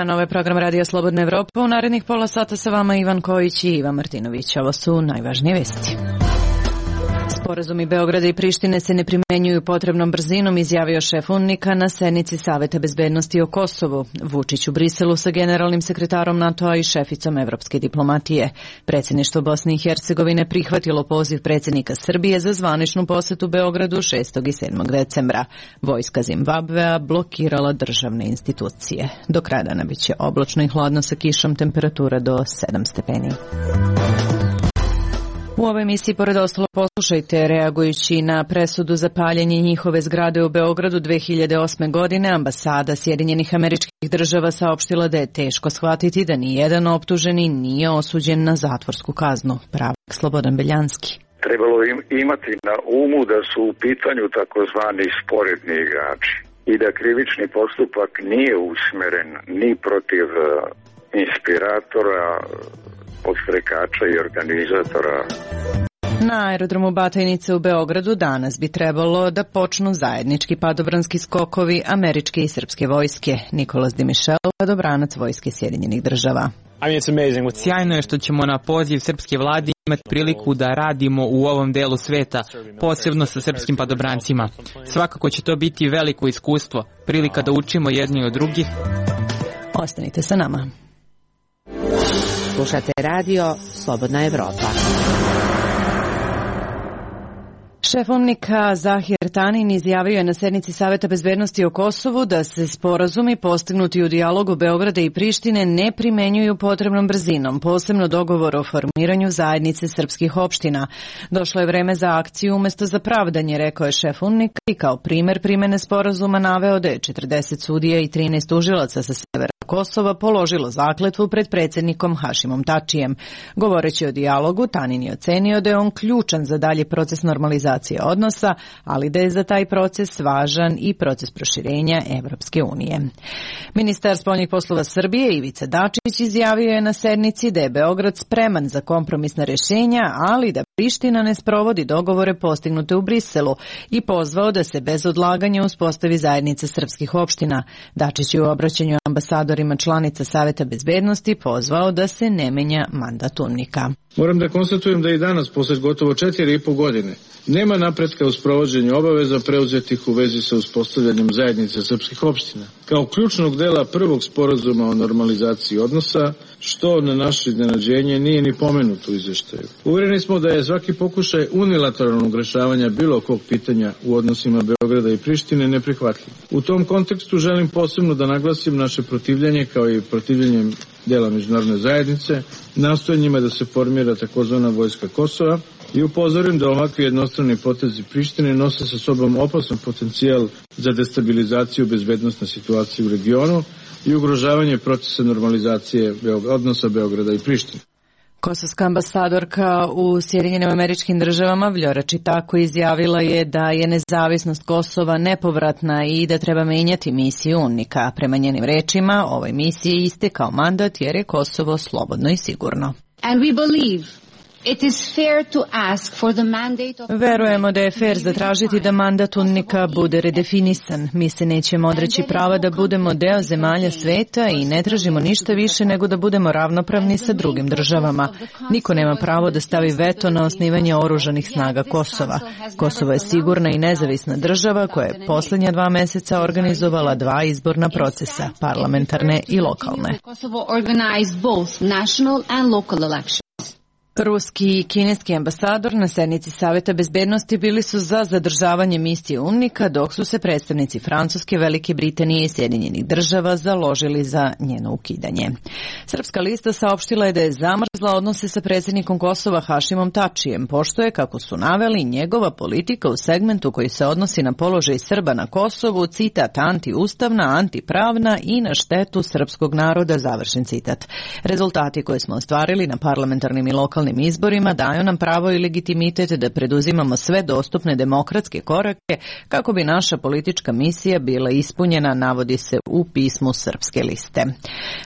dan, ovo je program Radio Slobodna Evropa. U narednih pola sata sa vama Ivan Kojić i Ivan Martinović. Ovo su najvažnije vesti. Sporazumi Beograda i Prištine se ne primenjuju potrebnom brzinom, izjavio šef UNMIK-a na sednici Saveta bezbednosti o Kosovu. Vučić u Briselu sa generalnim sekretarom NATO-a i šeficom evropske diplomatije. Predsjedništvo Bosne i Hercegovine prihvatilo poziv predsjednika Srbije za zvaničnu posetu Beogradu 6. i 7. decembra. Vojska Zimbabvea blokirala državne institucije. Do kraja dana biće oblačno i hladno sa kišom, temperatura do 7 stepeni. U ovoj emisiji, pored ostalo, poslušajte, reagujući na presudu za paljenje njihove zgrade u Beogradu 2008. godine, ambasada Sjedinjenih Američkih Država saopštila da je teško shvatiti da nijedan optuženi nije osuđen na zatvorsku kaznu. Pravnik Slobodan Beljanski. Trebalo imati na umu da su u pitanju takozvani sporedni igrači i da krivični postupak nije usmeren ni protiv inspiratora, podstrekača i organizatora. Na aerodromu Batajnice u Beogradu danas bi trebalo da počnu zajednički padobranski skokovi američke i srpske vojske. Nikolas Dimišel, padobranac vojske Sjedinjenih Država. Sjajno je što ćemo na poziv srpske vlade imati priliku da radimo u ovom delu sveta, posebno sa srpskim padobrancima. Svakako će to biti veliko iskustvo, prilika da učimo jedni od drugih. Ostanite sa nama. Slušate radio Slobodna Evropa. Šef UNMIK-a Zahir Tanin izjavio je na sednici Saveta bezbednosti o Kosovu da se sporazumi postignuti u dijalogu Beograda i Prištine ne primenjuju potrebnom brzinom, posebno dogovor o formiranju zajednice srpskih opština. Došlo je vreme za akciju umjesto za pravdanje, rekao je šef UNMIK-a i kao primer primene sporazuma naveo da je 40 sudija i 13 tužilaca sa severa Kosova položilo zakletvu pred predsjednikom Hašimom Tačijem. Govoreći o dijalogu, Tanin je ocenio da je on ključan za dalji proces normalizacije odnosa, ali da je za taj proces važan i proces proširenja Evropske unije. Ministar spoljnih poslova Srbije Ivica Dačić izjavio je na sednici da je Beograd spreman za kompromisna rješenja, ali da Priština ne sprovodi dogovore postignute u Briselu i pozvao da se bez odlaganja uspostavi zajednica srpskih opština. Dačić je u obraćanju ambasadorima članica Saveta bezbednosti pozvao da se ne menja mandat UNMIK-a. Moram da konstatujem da i danas, posle gotovo 4,5 godine, nema napretka u sprovođenju obaveza preuzetih u vezi sa uspostavljanjem zajednice srpskih opština. Kao ključnog dela prvog sporazuma o normalizaciji odnosa, što na naše iznenađenje nije ni pomenuto u izveštaju. Uvereni smo da je svaki pokušaj unilateralnog rešavanja bilo kog pitanja u odnosima Beograda i Prištine neprihvatljiv. U tom kontekstu želim posebno da naglasim naše protivljenje kao i protivljenje dela međunarodne zajednice, nastojanjima da se formira takozvana vojska Kosova i upozorim da ovakvi jednostrani potezi Prištine nose sa sobom opasan potencijal za destabilizaciju bezbednosne situacije u regionu i ugrožavanje procesa normalizacije odnosa Beograda i Prištine. Kosovska ambasadorka u Sjedinjenim Američkim Državama Vljora Čitako izjavila je da je nezavisnost Kosova nepovratna i da treba menjati misiju UNMIK-a. Prema njenim rečima, ovoj misiji istekao mandat jer je Kosovo slobodno i sigurno. Verujemo da je fair zatražiti da mandat UNMIK-a bude redefinisan. Mi se nećemo odreći prava da budemo deo zemalja sveta i ne tražimo ništa više nego da budemo ravnopravni sa drugim državama. Niko nema pravo da stavi veto na osnivanje oružanih snaga Kosova. Kosovo je sigurna i nezavisna država koja je posljednja 2 meseca organizovala 2 izborna procesa, parlamentarne i lokalne. Ruski i kineski ambasador na sednici Saveta bezbednosti bili su za zadržavanje misije UNMIK-a, dok su se predstavnici Francuske, Velike Britanije i Sjedinjenih Država založili za njeno ukidanje. Srpska lista saopštila je da je zamrzla odnose sa predsjednikom Kosova Hašimom Tačijem, pošto je, kako su naveli, njegova politika u segmentu koji se odnosi na položaj Srba na Kosovu, citat, antiustavna, antipravna i na štetu srpskog naroda, završen citat. Rezultati koje smo ostvarili na parlamentarnim i lokalnim lokalnim izborima daju nam pravo i legitimitet da preduzimamo sve dostupne demokratske korake kako bi naša politička misija bila ispunjena, navodi se u pismu Srpske liste.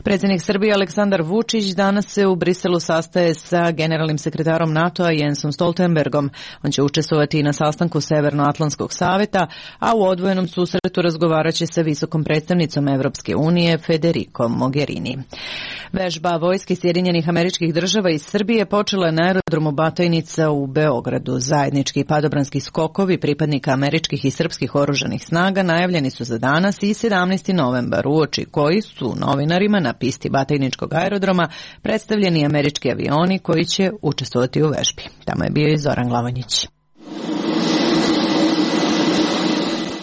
Predsjednik Srbije Aleksandar Vučić danas se u Briselu sastaje sa generalnim sekretarom NATO-a Jensom Stoltenbergom. On će učestvovati i na sastanku Severnoatlantskog saveta, a u odvojenom susretu razgovarat će sa visokom predstavnicom Evropske unije Federico Mogherini. Vežba vojske Sjedinjenih Američkih Država i Srbije počela je na aerodromu Batajnica u Beogradu. Zajednički padobranski skokovi pripadnika američkih i srpskih oružanih snaga najavljeni su za danas i 17. novembar, uoči koji su novinarima na pisti Batajničkog aerodroma predstavljeni američki avioni koji će učestvovati u vežbi. Tamo je bio i Zoran Glavonjić.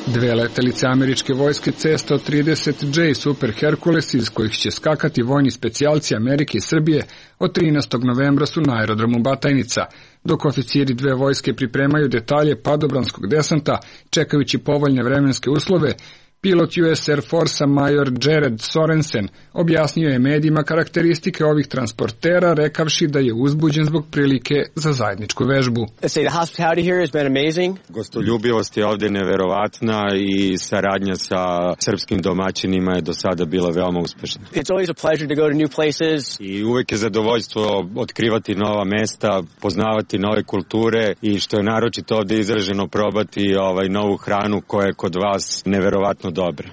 Dve letelice američke vojske C-130J Super Hercules iz kojih će skakati vojni specijalci Amerike i Srbije od 13. novembra su na aerodromu Batajnica, dok oficiri dve vojske pripremaju detalje padobranskog desanta čekajući povoljne vremenske uslove. Pilot US Air Force-a major Jared Sorensen objasnio je medijima karakteristike ovih transportera, rekavši da je uzbuđen zbog prilike za zajedničku vežbu. Gostoljubivost je ovdje neverovatna i saradnja sa srpskim domaćinima je do sada bila veoma uspešna. I uvek je zadovoljstvo otkrivati nova mesta, poznavati nove kulture i što je naročito ovdje izraženo probati novu hranu koja je kod vas neverovatno dobra.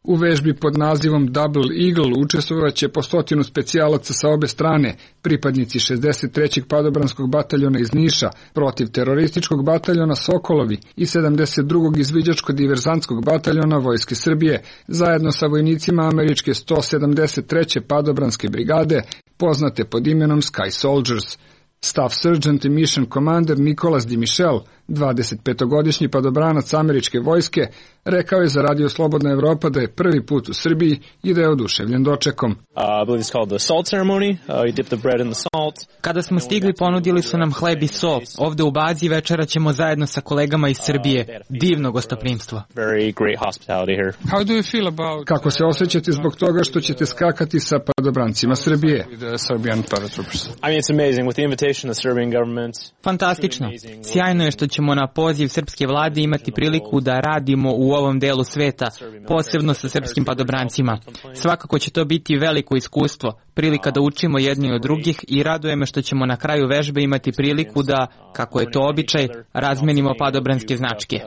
U vežbi pod nazivom Double Eagle učestvovaće po 100 specijalaca sa obe strane, pripadnici 63. padobranskog bataljona iz Niša, protiv terorističkog bataljona Sokolovi i 72. izviđačko-diverzantskog bataljona Vojske Srbije, zajedno sa vojnicima američke 173. padobranske brigade, poznate pod imenom Sky Soldiers. Staff Sergeant i Mission Commander Nicolas Di Michel, 25-godišnji padobranac američke vojske, rekao je za Radio Slobodna Evropa da je prvi put u Srbiji i da je oduševljen dočekom. Kada smo stigli, ponudili su nam hleb i so. Ovde u bazi večera ćemo zajedno sa kolegama iz Srbije. Divno gostoprimstvo. Kako se osjećate zbog toga što ćete skakati sa padobrancima Srbije? Fantastično. Sjajno je što ćemo na poziv srpske vlade imati priliku da radimo u ovom delu sveta, posebno sa srpskim padobrancima. Svakako će to biti veliko iskustvo, prilika da učimo jedni od drugih i raduje me što ćemo na kraju vežbe imati priliku da, kako je to običaj, razmenimo padobranske značke.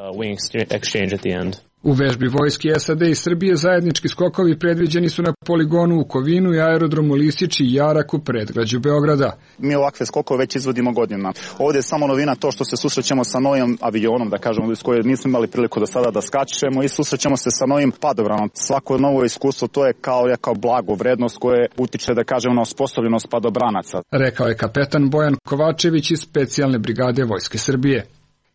U vežbi vojske SAD i Srbije zajednički skokovi predviđeni su na poligonu u Kovinu i aerodromu Lisići i Jarak u predgrađu Beograda. Mi ovakve skokove već izvodimo godinama. Ovdje je samo novina to što se susrećemo sa novim avionom, da kažemo, s kojim nismo imali priliku do sada da skačemo i susrećemo se sa novim padobranom. Svako novo iskustvo to je kao blago, vrednost koje utiče, da kažemo, na osposobljenost padobranaca. Rekao je kapetan Bojan Kovačević iz specijalne brigade Vojske Srbije.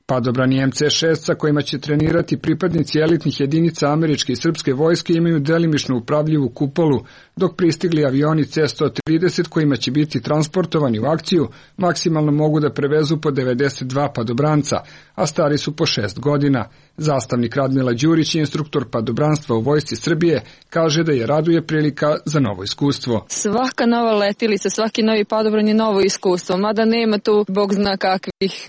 Padobrani MC-6 sa kojima će trenirati pripadnici elitnih jedinica američke i srpske vojske imaju delimično upravljivu kupolu, dok pristigli avioni C-130 kojima će biti transportovani u akciju maksimalno mogu da prevezu po 92 padobranca, a stari su po 6 godina. Zastavnik Radmila Đurić, instruktor padobranstva u Vojsci Srbije, kaže da je raduje prilika za novo iskustvo. Svaka nova letilica, svaki novi padobran je novo iskustvo, mada nema tu bog zna kakvih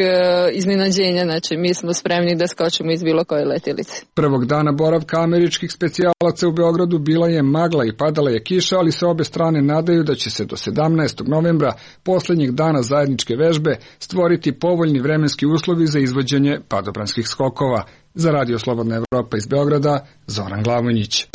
iznenađenja, znači mi smo spremni da skočimo iz bilo koje letilice. Prvog dana boravka američkih specijalaca u Beogradu bila je magla i padala je kiša, ali se obe strane nadaju da će se do 17. novembra, poslednjeg dana zajedničke vežbe, stvoriti povoljni vremenski uslovi za izvođenje padobranskih skokova. Za Radio Slobodna Evropa iz Beograda, Zoran Glavonjić.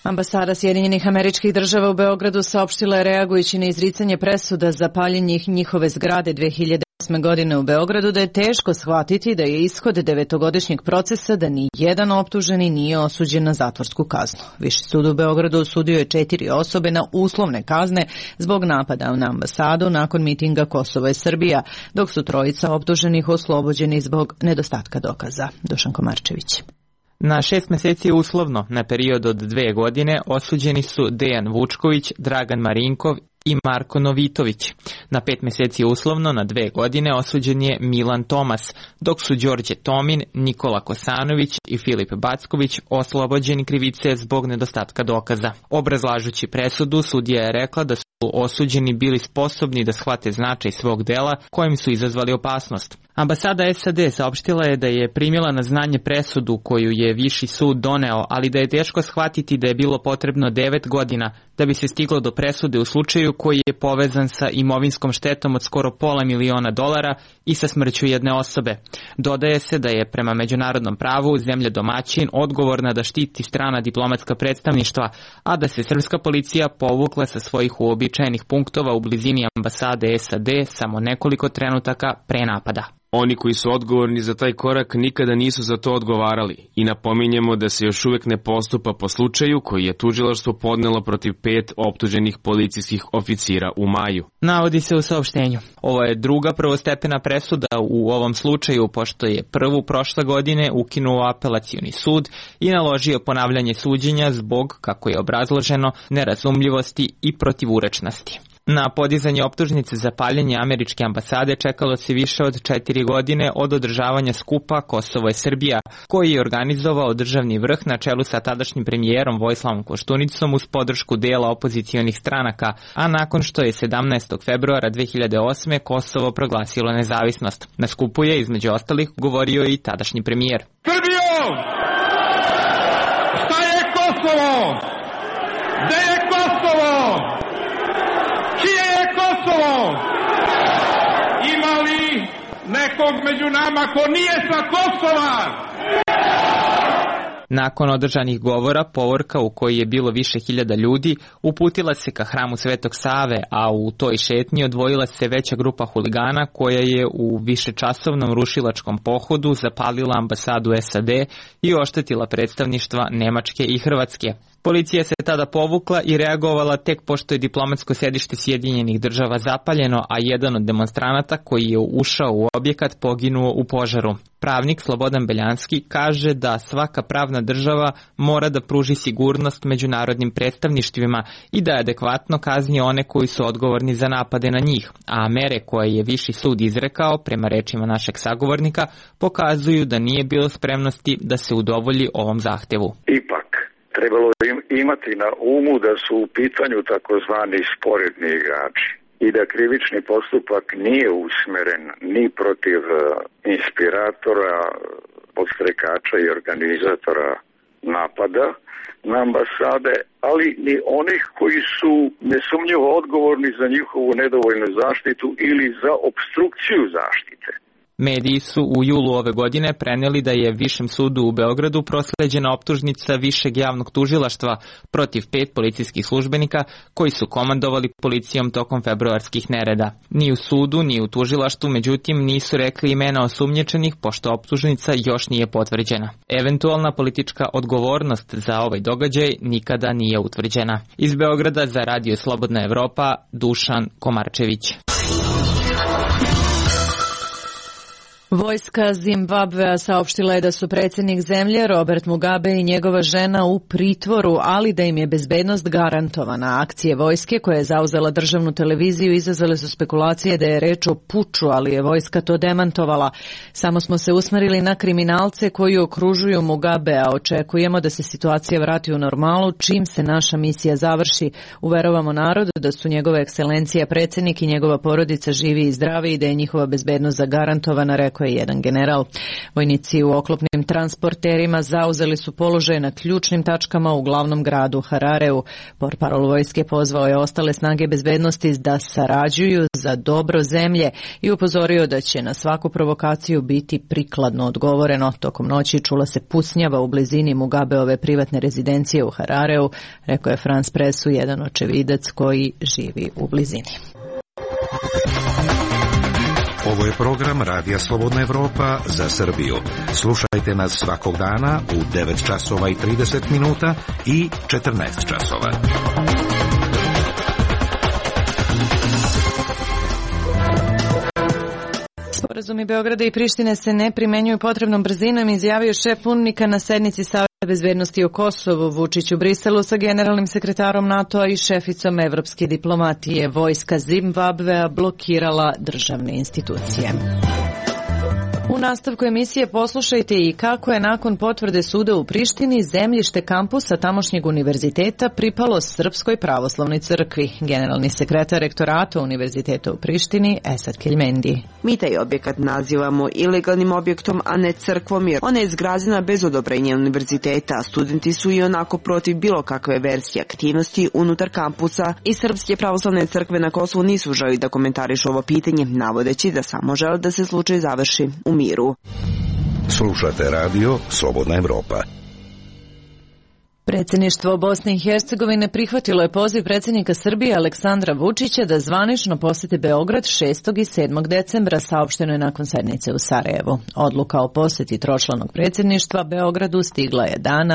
Ambasada Sjedinjenih Američkih Država u Beogradu saopštila je, reagujući na izricanje presuda za paljenje njihove zgrade 2008. godine u Beogradu, da je teško shvatiti da je ishod 9-godišnjeg procesa da ni jedan optuženi nije osuđen na zatvorsku kaznu. Viši sud u Beogradu osudio je 4 osobe na uslovne kazne zbog napada na ambasadu nakon mitinga Kosovo je Srbija, dok su 3 optuženih oslobođeni zbog nedostatka dokaza. Dušan Komarčević. Na 6 meseci uslovno, na period od 2 godine, osuđeni su Dejan Vučković, Dragan Marinkov, i Marko Novitović. Na 5 mjeseci uslovno, na 2 godine osuđen je Milan Tomas, dok su Đorđe Tomin, Nikola Kosanović i Filip Backović oslobođeni krivice zbog nedostatka dokaza. Obrazlažući presudu, sudija je rekla da su osuđeni bili sposobni da shvate značaj svog dela kojim su izazvali opasnost. Ambasada SAD saopštila je da je primila na znanje presudu koju je Viši sud doneo, ali da je teško shvatiti da je bilo potrebno 9 godina da bi se stiglo do presude u slučaju koji je povezan sa imovinskom štetom od skoro $500.000 i sa smrću jedne osobe. Dodaje se da je prema međunarodnom pravu zemlja domaćin odgovorna da štiti strana diplomatska predstavništva, a da se srpska policija povukla sa svojih uobičajenih punktova u blizini ambasade SAD samo nekoliko trenutaka pre napada. Oni koji su odgovorni za taj korak nikada nisu za to odgovarali i napominjemo da se još uvek ne postupa po slučaju koji je tužilaštvo podnelo protiv 5 optuženih policijskih oficira u maju. Navodi se u saopštenju. Ovo je druga prvostepena presuda u ovom slučaju, pošto je prvu prošle godine ukinuo apelacioni sud i naložio ponavljanje suđenja zbog, kako je obrazloženo, nerazumljivosti i protivurečnosti. Na podizanje optužnice za paljenje američke ambasade čekalo se više od 4 godine od održavanja skupa Kosovo je Srbija, koji je organizovao državni vrh na čelu sa tadašnjim premijerom Vojislavom Koštunicom uz podršku dela opozicionih stranaka, a nakon što je 17. februara 2008. Kosovo proglasilo nezavisnost. Na skupu je, između ostalih, govorio i tadašnji premijer. Srbijo! Šta je Kosovo? Gde je Kosovo? Čije je Kosovo? Ima li nekog među nama ko nije sa Kosova? Nakon održanih govora, povorka u kojoj je bilo više hiljada ljudi uputila se ka hramu Svetog Save, a u toj šetnji odvojila se veća grupa huligana koja je u višečasovnom rušilačkom pohodu zapalila ambasadu SAD i oštetila predstavništva Nemačke i Hrvatske. Policija se tada povukla i reagovala tek pošto je diplomatsko sedište Sjedinjenih Država zapaljeno, a jedan od demonstranata koji je ušao u objekat poginuo u požaru. Pravnik Slobodan Beljanski kaže da svaka pravna država mora da pruži sigurnost međunarodnim predstavništvima i da adekvatno kazni one koji su odgovorni za napade na njih, a mere koje je Viši sud izrekao, prema rečima našeg sagovornika, pokazuju da nije bilo spremnosti da se udovolji ovom zahtevu. Ipak, trebalo imati na umu da su u pitanju takozvani sporedni igrači i da krivični postupak nije usmeren ni protiv inspiratora, podstrekača i organizatora napada na ambasade, ali ni onih koji su nesumnjivo odgovorni za njihovu nedovoljnu zaštitu ili za opstrukciju zaštite. Mediji su u julu ove godine preneli da je Višem sudu u Beogradu prosleđena optužnica Višeg javnog tužilaštva protiv 5 policijskih službenika koji su komandovali policijom tokom februarskih nereda. Ni u sudu, ni u tužilaštvu, međutim, nisu rekli imena osumnjičenih, pošto optužnica još nije potvrđena. Eventualna politička odgovornost za ovaj događaj nikada nije utvrđena. Iz Beograda za Radio Slobodna Evropa, Dušan Komarčević. Vojska Zimbabvea saopštila je da su predsjednik zemlje Robert Mugabe i njegova žena u pritvoru, ali da im je bezbednost garantovana. Akcije vojske koje je zauzela državnu televiziju izazvale su spekulacije da je reč o puču, ali je vojska to demantovala. Samo smo se usmerili na kriminalce koji okružuju Mugabea. Očekujemo da se situacija vrati u normalu čim se naša misija završi. Uverovamo narod da su njegove ekscelencija predsjednik i njegova porodica živi i zdravi i da je njihova bezbednost zagarantovana, rekao je jedan general. Vojnici u oklopnim transporterima zauzeli su položaje na ključnim tačkama u glavnom gradu Harareu. Portparol vojske pozvao je ostale snage bezbednosti da sarađuju za dobro zemlje i upozorio da će na svaku provokaciju biti prikladno odgovoreno. Tokom noći čula se pucnjava u blizini Mugabeove privatne rezidencije u Harareu, rekao je France Pressu jedan očevidac koji živi u blizini. Ovo je program Radija Slobodna Evropa za Srbiju. Slušajte nas svakog dana u 9 časova i 30 minuta i 14 časova. Sporazumi Beograda i Prištine se ne primenjuju potrebnom brzinom, izjavio šef UNMIK-a na sednici Saveta bezbednosti o Kosovu, Vučić u Briselu sa generalnim sekretarom NATO-a i šeficom evropske diplomatije. Vojska Zimbabvea blokirala državne institucije. U nastavku emisije poslušajte i kako je nakon potvrde suda u Prištini zemljište kampusa tamošnjeg univerziteta pripalo Srpskoj pravoslavnoj crkvi. Generalni sekretar rektorata Univerziteta u Prištini, Esad Keljmendi. Mi taj objekat nazivamo ilegalnim objektom, a ne crkvom, jer ona je izgrađena bez odobrenja univerziteta. Studenti su i onako protiv bilo kakve verzije aktivnosti unutar kampusa i Srpske pravoslavne crkve na Kosovu nisu želi da komentarišu ovo pitanje, navodeći da samo žele da se slučaj završi u miru. Slušate radio Slobodna Evropa. Predsjedništvo Bosne i Hercegovine prihvatilo je poziv predsjednika Srbije Aleksandra Vučića da zvanično posjeti Beograd 6. i 7. decembra, saopšteno je nakon sednice u Sarajevu. Odluka o posjeti tročlanog predsjedništva Beogradu stigla je dan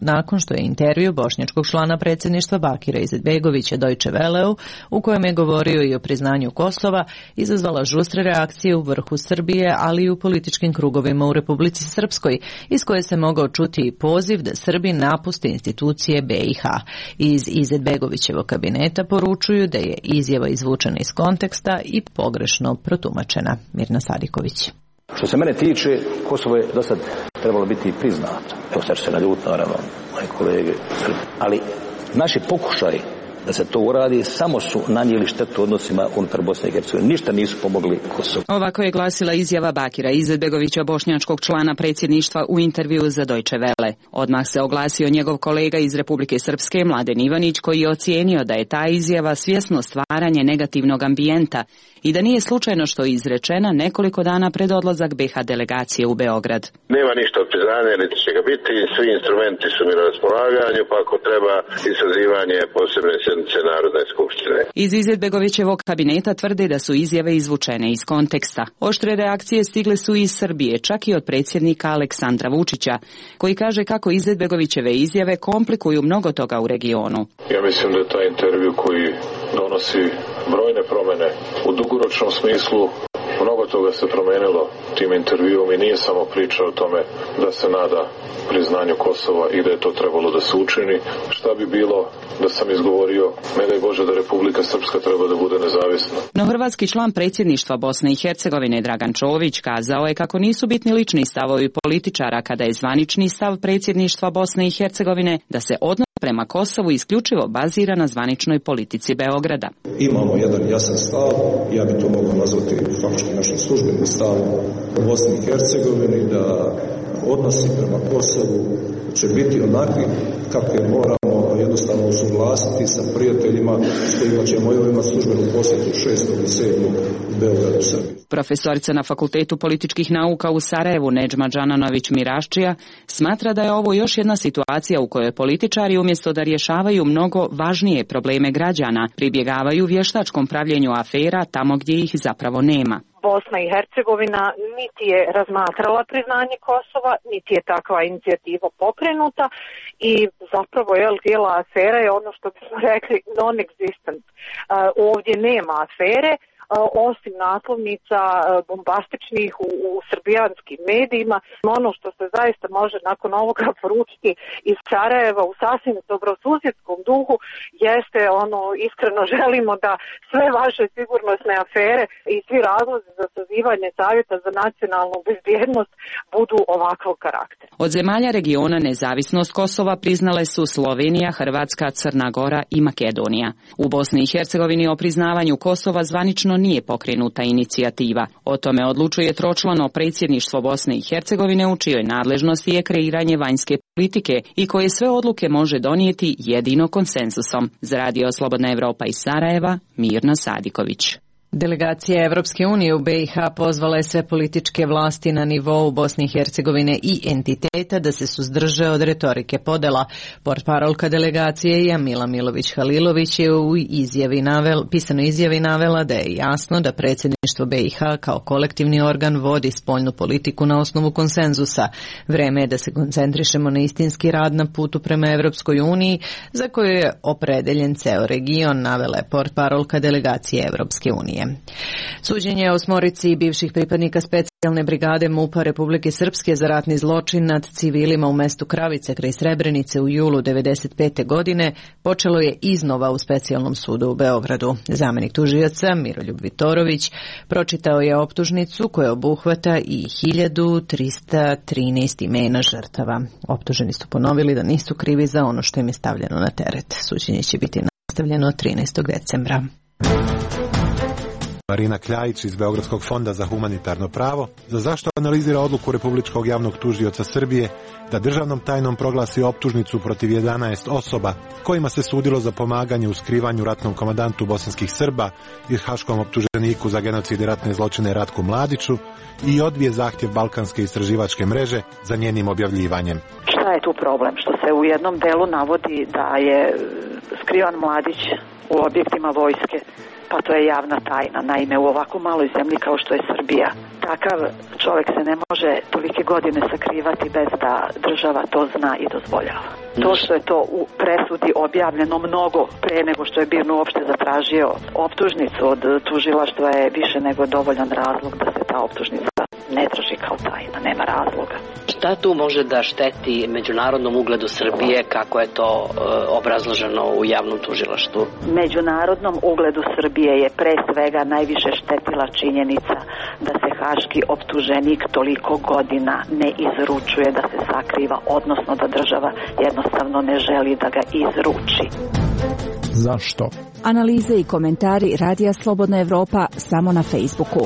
nakon što je intervju bošnjačkog člana predsjedništva Bakira Izetbegovića Deutsche Welleu, u kojem je govorio i o priznanju Kosova, izazvala žustre reakcije u vrhu Srbije, ali i u političkim krugovima u Republici Srpskoj, iz koje se mogao čuti i poziv da Srbi napuste institucije BiH. Iz Izetbegovićevog kabineta poručuju da je izjava izvučena iz konteksta i pogrešno protumačena. Mirna Sadiković. Što se mene tiče, Kosovo je do sad trebalo biti priznato. Evo sad će se naljutiti, naravno, moji kolege, ali naši pokušaj da se to uradi samo su nanijeli štetu odnosima unutar Bosne i Hercegovine. Ništa nisu pomogli Kosovu. Ovako je glasila izjava Bakira Izetbegovića, bošnjačkog člana predsjedništva, u intervju za Deutsche Welle. Odmah se oglasio njegov kolega iz Republike Srpske, Mladen Ivanić, koji je ocijenio da je ta izjava svjesno stvaranje negativnog ambijenta i da nije slučajno što je izrečena nekoliko dana pred odlazak BiH delegacije u Beograd. Nema ništa od priznanja, niti će ga biti, svi instrumenti su mi na raspolaganju, pa ako treba i sazivanje posebne sjednice Narodne skupštine. Iz Izetbegovićevog kabineta tvrde da su izjave izvučene iz konteksta. Oštre reakcije stigle su iz Srbije, čak i od predsjednika Aleksandra Vučića, koji kaže kako Izetbegovićeve izjave komplikuju mnogo toga u regionu. Ja mislim da je taj intervju koji donosi brojne promjene u dugoročnom smislu. Mnogo toga se promenilo tim intervjuom i nije samo priča o tome da se nada priznanju Kosova i da je to trebalo da se učini. Šta bi bilo da sam izgovorio, ne daj Bože da Republika Srpska treba da bude nezavisna. No hrvatski član predsjedništva Bosne i Hercegovine Dragan Čović kazao je kako nisu bitni lični stavovi političara kada je zvanični stav predsjedništva Bosne i Hercegovine da se odnos prema Kosovu isključivo bazira na zvaničnoj politici Beograda. Imamo jedan jasan stav, ja bi to mogao nazvati faktički našim službenim stavom u Bosni i Hercegovini, da odnosi prema Kosovu će biti onakvi kakve moramo jednostavno usuglasiti sa prijateljima s kojima ćemo imati službenu posjetu 6. i 7. u Beogradu, Srbiji. Profesorica na Fakultetu političkih nauka u Sarajevu Nedžma Džananović-Miraščija smatra da je ovo još jedna situacija u kojoj političari umjesto da rješavaju mnogo važnije probleme građana pribjegavaju vještačkom pravljenju afera tamo gdje ih zapravo nema. Bosna i Hercegovina niti je razmatrala priznanje Kosova, niti je takva inicijativa pokrenuta i zapravo cijela afera je ono što bismo rekli non-existent. Ovdje nema afere, osim naslovnica bombastičnih u srbijanskim medijima. Ono što se zaista može nakon ovoga poručiti iz Sarajeva u sasvim dobrosusjedskom duhu jeste iskreno želimo da sve vaše sigurnosne afere i svi razlozi za sazivanje Savjeta za nacionalnu bezbjednost budu ovakvog karaktera. Od zemalja regiona nezavisnost Kosova priznale su Slovenija, Hrvatska, Crna Gora i Makedonija. U Bosni i Hercegovini o priznavanju Kosova zvanično nije pokrenuta inicijativa. O tome odlučuje tročlano predsjedništvo Bosne i Hercegovine u čijoj nadležnosti je kreiranje vanjske politike i koje sve odluke može donijeti jedino konsenzusom. Za Radio Slobodna Evropa iz Sarajeva, Mirna Sadiković. Delegacija Evropske unije u BiH pozvala je sve političke vlasti na nivou Bosne i Hercegovine i entiteta da se suzdrže od retorike podela. Portparolka delegacije Jamila Milović-Halilović je u pisanoj izjavi navela da je jasno da predsjedništvo BiH kao kolektivni organ vodi spoljnu politiku na osnovu konsenzusa. Vreme je da se koncentrišemo na istinski rad na putu prema Evropskoj uniji za koju je opredeljen ceo region, navela je portparolka delegacije Evropske unije. Suđenje osmorici bivših pripadnika specijalnih specijalne brigade MUP-a Republike Srpske za ratni zločin nad civilima u mestu Kravice kraj Srebrenice u julu 1995. godine počelo je iznova u specijalnom sudu u Beogradu. Zamenik tužioca Miroljub Vitorović pročitao je optužnicu koja obuhvata i 1313 imena žrtava. Optuženi su ponovili da nisu krivi za ono što im je stavljeno na teret. Suđenje će biti nastavljeno 13. decembra. Marina Kljajić iz Beogradskog fonda za humanitarno pravo za zašto analizira odluku Republičkog javnog tužioca Srbije da državnom tajnom proglasi optužnicu protiv 11 osoba kojima se sudilo za pomaganje u skrivanju ratnom komandantu bosanskih Srba i haškom optuženiku za genocid i ratne zločine Ratku Mladiću i odbije zahtjev Balkanske istraživačke mreže za njenim objavljivanjem. Šta je tu problem? Što se u jednom delu navodi da je skrivan Mladić u objektima vojske, pa to je javna tajna. Naime, u ovako maloj zemlji kao što je Srbija, takav čovjek se ne može tolike godine sakrivati bez da država to zna i dozvoljava. To što je to u presudi objavljeno mnogo pre nego što je BIRN uopšte zatražio optužnicu od tužilaštva je više nego dovoljan razlog da se ta optužnica ne drži kao tajna, nema razloga. Šta tu može da šteti međunarodnom ugledu Srbije, kako je to obrazloženo u javnom tužilaštvu? Međunarodnom ugledu Srbije je pre svega najviše štetila činjenica da se haški optuženik toliko godina ne izručuje, da se sakriva, odnosno da država jednostavno ne želi da ga izruči. Zašto? Analize i komentari Radija Slobodna Evropa samo na Facebooku.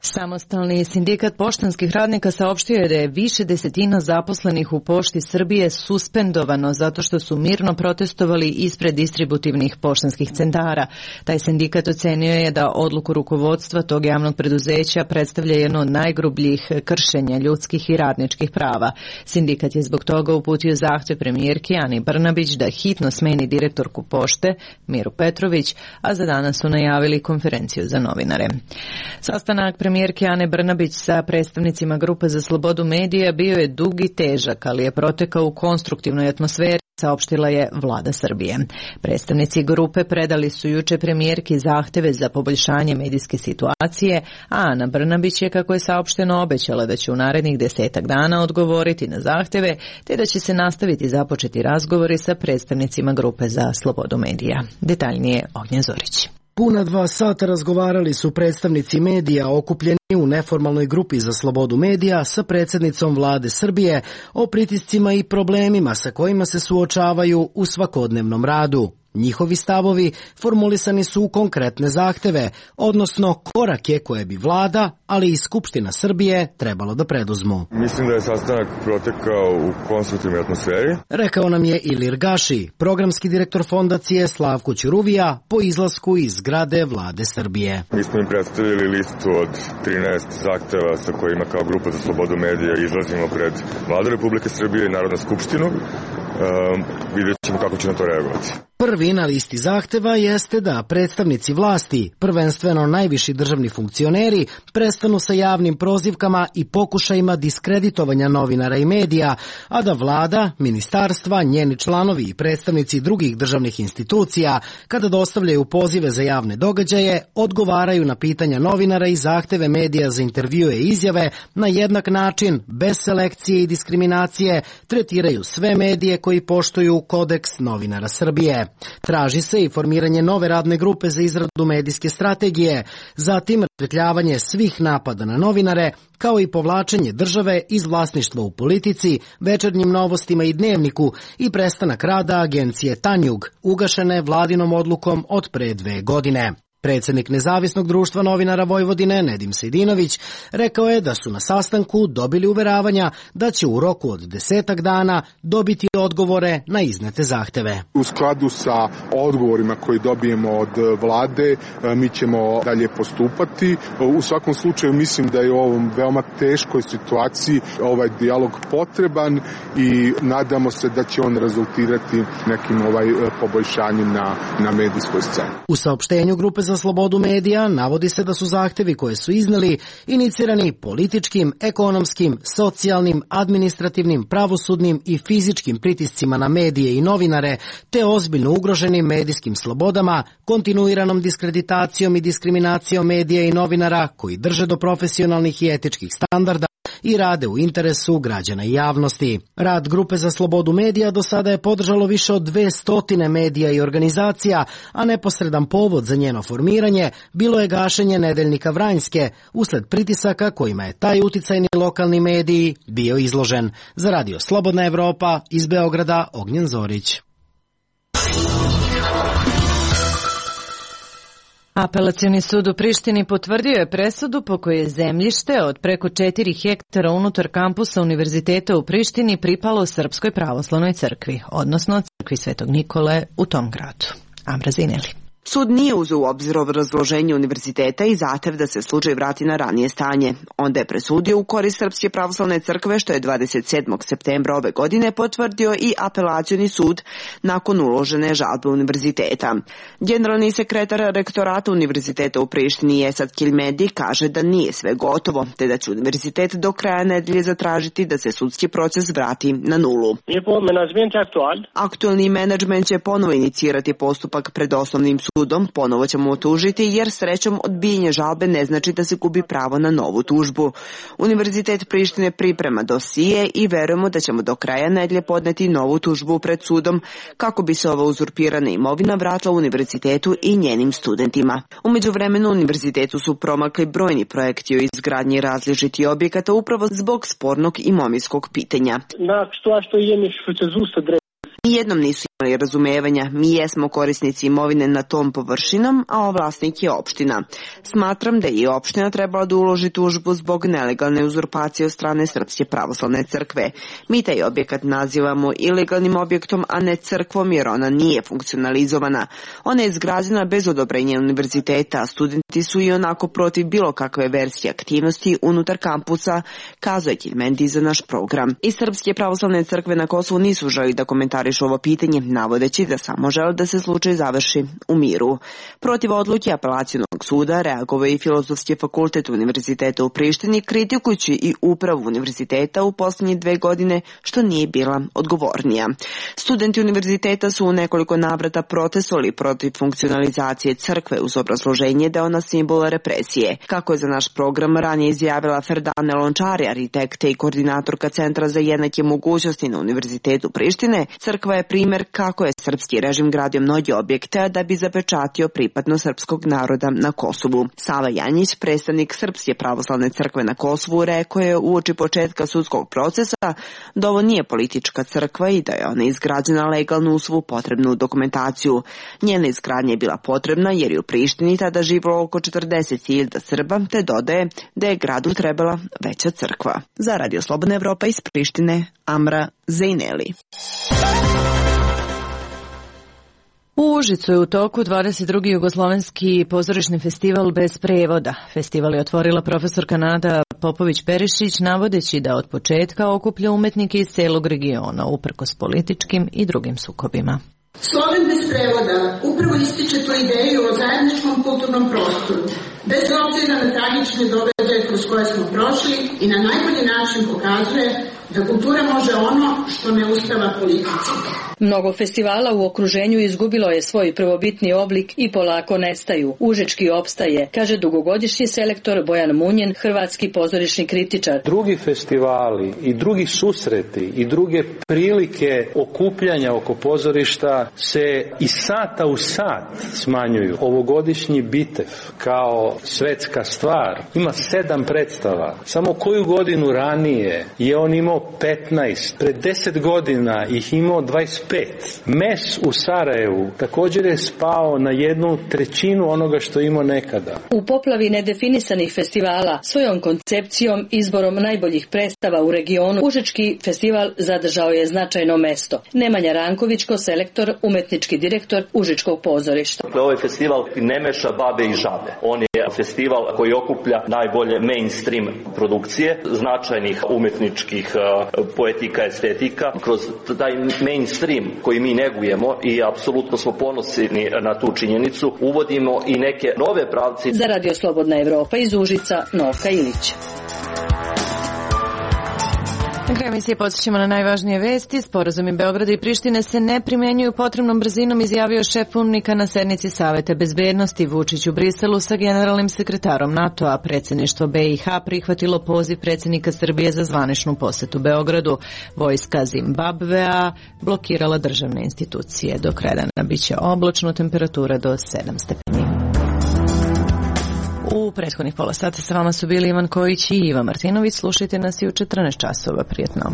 Samostalni sindikat poštanskih radnika saopštio je da je više desetina zaposlenih u Pošti Srbije suspendovano zato što su mirno protestovali ispred distributivnih poštanskih centara. Taj sindikat ocenio je da odluku rukovodstva tog javnog preduzeća predstavlja jedno od najgrubljih kršenja ljudskih i radničkih prava. Sindikat je zbog toga uputio zahtev premijerki Ani Brnabić da hitno smeni direktorku Pošte Miru Petrović, a za danas su najavili konferenciju za novinare. Sastanak premijerke Ane Brnabić sa predstavnicima Grupe za slobodu medija bio je dug i težak, ali je protekao u konstruktivnoj atmosferi, saopštila je Vlada Srbije. Predstavnici grupe predali su juče premijerki zahteve za poboljšanje medijske situacije, a Ana Brnabić je, kako je saopšteno, obećala da će u narednih 10 dana odgovoriti na zahteve, te da će se nastaviti započeti razgovori sa predstavnicima Grupe za slobodu medija. Detaljnije Ognjen Zorić. Puna 2 sata razgovarali su predstavnici medija okupljeni u neformalnoj grupi za slobodu medija sa predsjednicom Vlade Srbije o pritiscima i problemima sa kojima se suočavaju u svakodnevnom radu. Njihovi stavovi formulisani su u konkretne zahteve, odnosno korake koje bi Vlada, ali i Skupština Srbije trebalo da preduzmu. Mislim da je sastanak protekao u konstruktivnoj atmosferi. Rekao nam je Ilir Gaši, programski direktor fondacije Slavko Ćuruvija, po izlasku iz zgrade Vlade Srbije. Mi smo im predstavili listu od 13 zahteva sa kojima kao Grupa za slobodu medija izlazimo pred Vladu Republike Srbije i Narodnu skupštinu. Vidjet ćemo kako će na to reagovati. Prvi na listi zahteva jeste da predstavnici vlasti, prvenstveno najviši državni funkcioneri, prestanu sa javnim prozivkama i pokušajima diskreditovanja novinara i medija, a da Vlada, ministarstva, njeni članovi i predstavnici drugih državnih institucija, kada dostavljaju pozive za javne događaje, odgovaraju na pitanja novinara i zahteve medija za intervjue i izjave na jednak način, bez selekcije i diskriminacije, tretiraju sve medije koji poštuju kodeks novinara Srbije. Traži se i formiranje nove radne grupe za izradu medijske strategije, zatim rasvetljavanje svih napada na novinare, kao i povlačenje države iz vlasništva u Politici, Večernjim novostima i Dnevniku i prestanak rada agencije Tanjug, ugašene Vladinom odlukom od pre 2 godine. Predsjednik Nezavisnog društva novinara Vojvodine, Nedim Sejdinović, rekao je da su na sastanku dobili uveravanja da će u roku od 10 dana dobiti odgovore na iznete zahteve. U skladu sa odgovorima koji dobijemo od vlade, mi ćemo dalje postupati. U svakom slučaju mislim da je u ovom veoma teškoj situaciji ovaj dijalog potreban i nadamo se da će on rezultirati nekim poboljšanjem na medijskoj sceni. U saopštenju Grupe za za slobodu medija navodi se da su zahtevi koje su izneli inicirani političkim, ekonomskim, socijalnim, administrativnim, pravosudnim i fizičkim pritiscima na medije i novinare, te ozbiljno ugroženim medijskim slobodama, kontinuiranom diskreditacijom i diskriminacijom medija i novinara koji drže do profesionalnih i etičkih standarda i rade u interesu građana i javnosti. Rad Grupe za slobodu medija do sada je podržalo više od 200 medija i organizacija, a neposredan povod za njeno formiranje bilo je gašenje nedeljnika Vranjske usled pritisaka kojima je taj uticajni lokalni mediji bio izložen. Za Radio Slobodna Evropa iz Beograda, Ognjen Zorić. Apelacioni sud u Prištini potvrdio je presudu po kojoj je zemljište od preko 4 hektara unutar kampusa Univerziteta u Prištini pripalo Srpskoj pravoslavnoj crkvi, odnosno crkvi Svetog Nikole u tom gradu. Amra Zineli. Sud nije uzeo u obzir obrazloženje univerziteta i zahtev da se slučaj vrati na ranije stanje. Onda je presudio u korist Srpske pravoslavne crkve, što je 27. septembra ove godine potvrdio i apelacioni sud nakon uložene žalbe univerziteta. Generalni sekretar rektorata Univerziteta u Prištini Esad Kilmedi kaže da nije sve gotovo, te da će univerzitet do kraja nedelje zatražiti da se sudski proces vrati na nulu. Aktualni menadžment će ponovo inicirati postupak pred osnovnim sudom, ponovo ćemo otužiti jer srećom odbijenje žalbe ne znači da se gubi pravo na novu tužbu. Univerzitet Prištine priprema dosije i verujemo da ćemo do kraja nedelje podneti novu tužbu pred sudom kako bi se ova uzurpirana imovina vratila univerzitetu i njenim studentima. U međuvremenu univerzitetu su promakli brojni projekti o izgradnji različitih objekata upravo zbog spornog imovinskog pitanja. Nijednom nisu imali razumevanja, mi jesmo korisnici imovine na tom površinom, a vlasnik je opština. Smatram da je i opština trebala da uloži tužbu zbog nelegalne uzurpacije od strane Srpske pravoslavne crkve. Mi taj objekat nazivamo ilegalnim objektom, a ne crkvom jer ona nije funkcionalizovana. Ona je izgrađena bez odobrenja univerziteta, a studenti su i onako protiv bilo kakve verzije aktivnosti unutar kampusa, kazuje Kilmendi za naš program. I Srpske pravoslavne crkve na Kosovu nisu želi da komentarišu ovo pitanje, navodeći da samo žele da se slučaj završi u miru. Protiv odluke apelacionog suda reagovao i Filozofski fakultet Univerziteta u Prištini, kritikujući i upravu univerziteta u posljednje 2 godine, što nije bila odgovornija. Studenti univerziteta su u nekoliko navrata protestovali protiv funkcionalizacije crkve uz obrazloženje da je ona simbol represije. Kako je za naš program ranije izjavila Ferdane Lončari, arhitekta i koordinatorka Centra za jednake mogućnosti na Univerzitetu Prištine, crkva je primjer kako je srpski režim gradio mnogi objekte da bi zapečatio pripadnost srpskog naroda na Kosovu. Sava Janjić, predstavnik Srpske pravoslavne crkve na Kosovu, rekao je uoči početka sudskog procesa da ovo nije politička crkva i da je ona izgrađena legalno uz svu potrebnu dokumentaciju. Njena izgradnja je bila potrebna jer je u Prištini tada živjelo oko 40.000 Srba, te dodaje da je gradu trebala veća crkva. Za Radio Slobodna Evropa iz Prištine, Amra Zejneli. U Užicu je u toku 22. jugoslovenski pozorišni festival bez prevoda. Festival je otvorila profesorka Nada Popović-Perišić, navodeći da od početka okuplja umetnike iz celog regiona, uprkos političkim i drugim sukobima. Sloven bez prevoda upravo ističe tu ideju o zajedničkom kulturnom prostoru, bez obzira na tragične događaje kroz koje smo prošli i na najbolji način pokazuje da kultura može ono što ne uspeva politici. Mnogo festivala u okruženju izgubilo je svoj prvobitni oblik i polako nestaju. Užički opstaje, kaže dugogodišnji selektor Bojan Munjen, hrvatski pozorišni kritičar. Drugi festivali i drugi susreti i druge prilike okupljanja oko pozorišta se iz sata u sat smanjuju. Ovogodišnji Bitev kao svetska stvar ima 7 predstava. Samo koju godinu ranije je on imao 15, pred 10 godina ih imao 25. Mes u Sarajevu također je spao na 1/3 onoga što imao nekada. U poplavi nedefinisanih festivala, svojom koncepcijom, izborom najboljih predstava u regionu, Užički festival zadržao je značajno mesto. Nemanja Rankovićko, selektor, umetnički direktor Užičkog pozorišta. Ovaj festival ne meša babe i žabe. On je festival koji okuplja najbolje mainstream produkcije značajnih umetničkih poetika, estetika, kroz taj mainstream koji mi negujemo i apsolutno smo ponosni na tu činjenicu, uvodimo i neke nove pravce. Za Radio Slobodna Evropa iz Užica, Novka Ilić. Na kraju emisije podsjećamo na najvažnije vesti. Sporazumi Beograda i Prištine se ne primjenjuju potrebnom brzinom, izjavio šef UNMIK-a na sednici Saveta bezbednosti. Vučić u Briselu sa generalnim sekretarom NATO-a. Predsjedništvo BiH prihvatilo poziv predsjednika Srbije za zvaničnu posetu Beogradu. Vojska Zimbabvea blokirala državne institucije. Do kraja dana biće oblačno, temperatura do 7 stepeni. U prethodnih pola sata sa vama su bili Ivan Kojić i Iva Martinović. Slušajte nas i u 14 časova. Prijetno.